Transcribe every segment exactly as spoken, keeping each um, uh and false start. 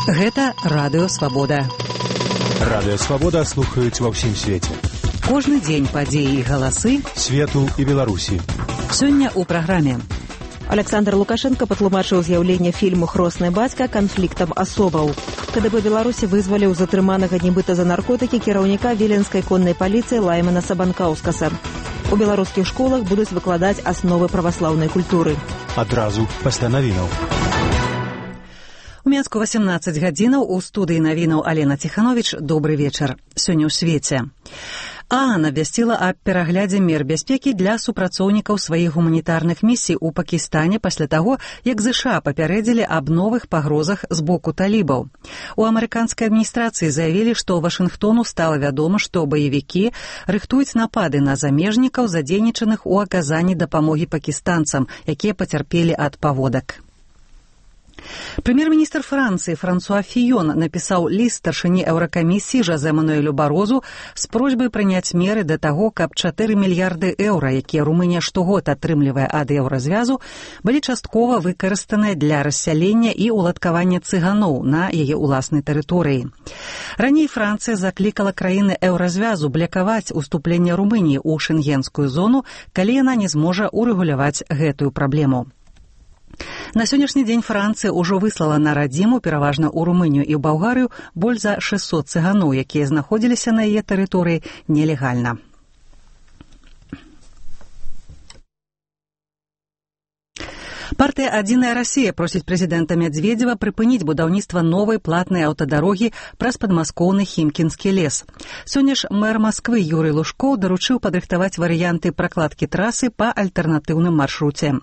Гэта Радыё Свабода. Радыё Свабода слухаюць ва ўсім свеце. Кожны дзень падзеі і галасы свету і Беларусі. Сёння ў праграме. Александр Лукашенко патлумачыў з'яўленне фільму «Хросны бацька» канфліктам асобаў. КДБ Беларусі вызваліў затрыманага нібыта за наркотыкі кіраўніка віленскай коннай паліцыі Лаймана Сабанкаўскаса. У беларускіх школах будуць выкладаць асновы праваслаўнай культуры. Адразу пасля навінаў. У Менску васемнаццаць гадзінаў, у студыі навінаў Алена Ціхановіч. Добры вечар. Сёння ў свеце. ААН абвясціла аб пераглядзе мер бяспекі для супрацоўнікаў сваіх гуманітарных місій у Пакістане пасля таго, як ЗША папярэдзілі аб новых пагрозах з боку талібаў. У амерыканскай адміністрацыі заявілі, што Вашынгтону стала вядома, што баевікі рыхтуюць напады на замежнікаў, задзейнічаных у аказанні дапамогі пакістанцам, якія пацярпелі ад паводак. Прэм'ер-міністр Францыі Франсуа Фіён напісаў ліст старшыні Еўракамісіі Жозе Мануэлю Барозу з просьбай прыняць меры да таго, каб чатыры мільярды еўра, якія Румынія штогод атрымлівае ад еўразвязу, былі часткова выкарыстаныя для рассялення і уладкавання цыганоў на яе ўласнай тэрыторыі. Раней Францыя заклікала краіны еўразвязу блакаваць уступленне Румыніі ў шэнгенскую зону, калі яна не зможа урэгуляваць гэтую праблему. На сённяшні дзень Францыя ўжо выслала на радзіму, пераважна ў Румынію і ў Балгарыю, больш за шэсцьсот цыганоў, якія знаходзіліся на яе тэрыторыі нелегальна. Партыя «Адзіная Расія» просіць прэзідэнта Мядзведзева прыпыніць будаўніцтва новай платнай аўтадарогі праз падмаскоўны Хімкінскі лес. Сёння ж мэр Масквы Юрый Лужкоў даручыў падрыхтаваць варыянты пракладкі трасы па альтэрнатыўным маршруце.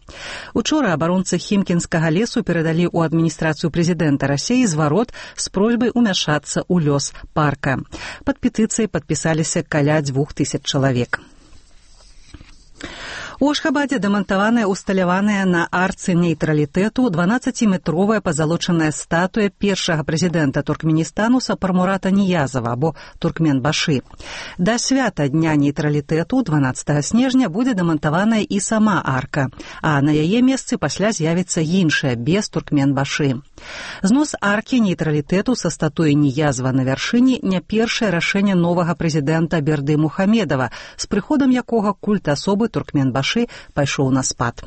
Учора абаронцы Хімкінскага лесу перадалі ў адміністрацыю прэзідэнта Расіі зварот з просьбай умяшацца ў лёс парка. Пад петыцыяй падпісаліся каля дзвюх тысяч чалавек. У Ашхабадзе дэмантаваная усталяваная на арцы нейтралітэту дванаццаціметровая пазалочаная статуя першага прэзідэнта Туркменістану Сапармурата Ніязова або Туркменбашы. Да свята Дня нейтралітэту дванаццатага снежня будзе дэмантаваная і сама арка, а на яе месцы пасля з'явіцца іншая без Туркменбашы. Знос аркі нейтралітэту са статуі Ніязова на вяршыні не першае рашэнне новага прэзідэнта Берды Мухамедова, з прыходам якога культ асобы Туркменбашы пайшоў на спад.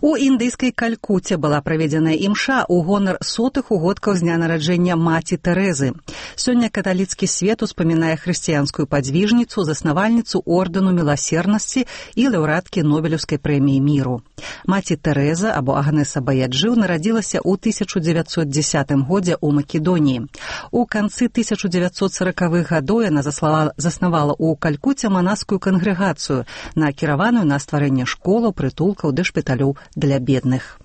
У індыйскай Калькуце была праведзеная імша ў гонар сотых угодкаў з дня нараджэння маці Тэрэзы. Сёння каталіцкі свет успамінае хрысціянскую падзвіжніцу, заснавальніцу ордэну міласернасці і лаўрэаткі Нобелеўскай прэміі міру. Маці Тэрэза або Агнеса Баяджыў нарадзілася ў тысяча дзевяцьсот дзесятым годзе ў Македоніі. У канцы тысяча дзевяцьсот саракавых гадоў яна заснавала ў Калькуце манаскую кангрэгацыю, накіраваную на стварэнне школаў, прытулкаў ды шпіталёў для бедных.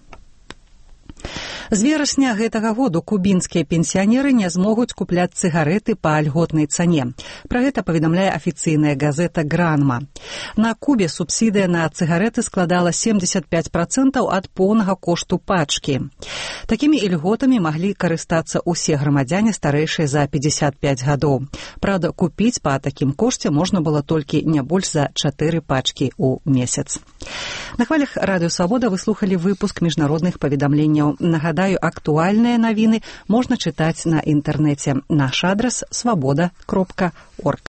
З верасня гэтага году кубінскія пенсіянеры не змогуць купляць цыгарэты па льготнай цане. Пра гэта паведамляе афіцыйная газета «Гранма». На Кубе субсідыя на цыгарэты складала семдзесят пяць працэнтаў ад поўнага кошту пачкі. Такімі ільготамі маглі карыстацца ўсе грамадзяне старэйшыя за пятьдесят пять гадоў. Праўда, купіць па такім кошце можна было толькі не больш за чатыры пачкі ў месяц. На хвалях Радыё Свабода вы слухалі выпуск міжнародных паведамленняў. Нагадаю, актуальныя навіны можна чытаць на інтэрнэце. Наш адрас свабода кропка орг.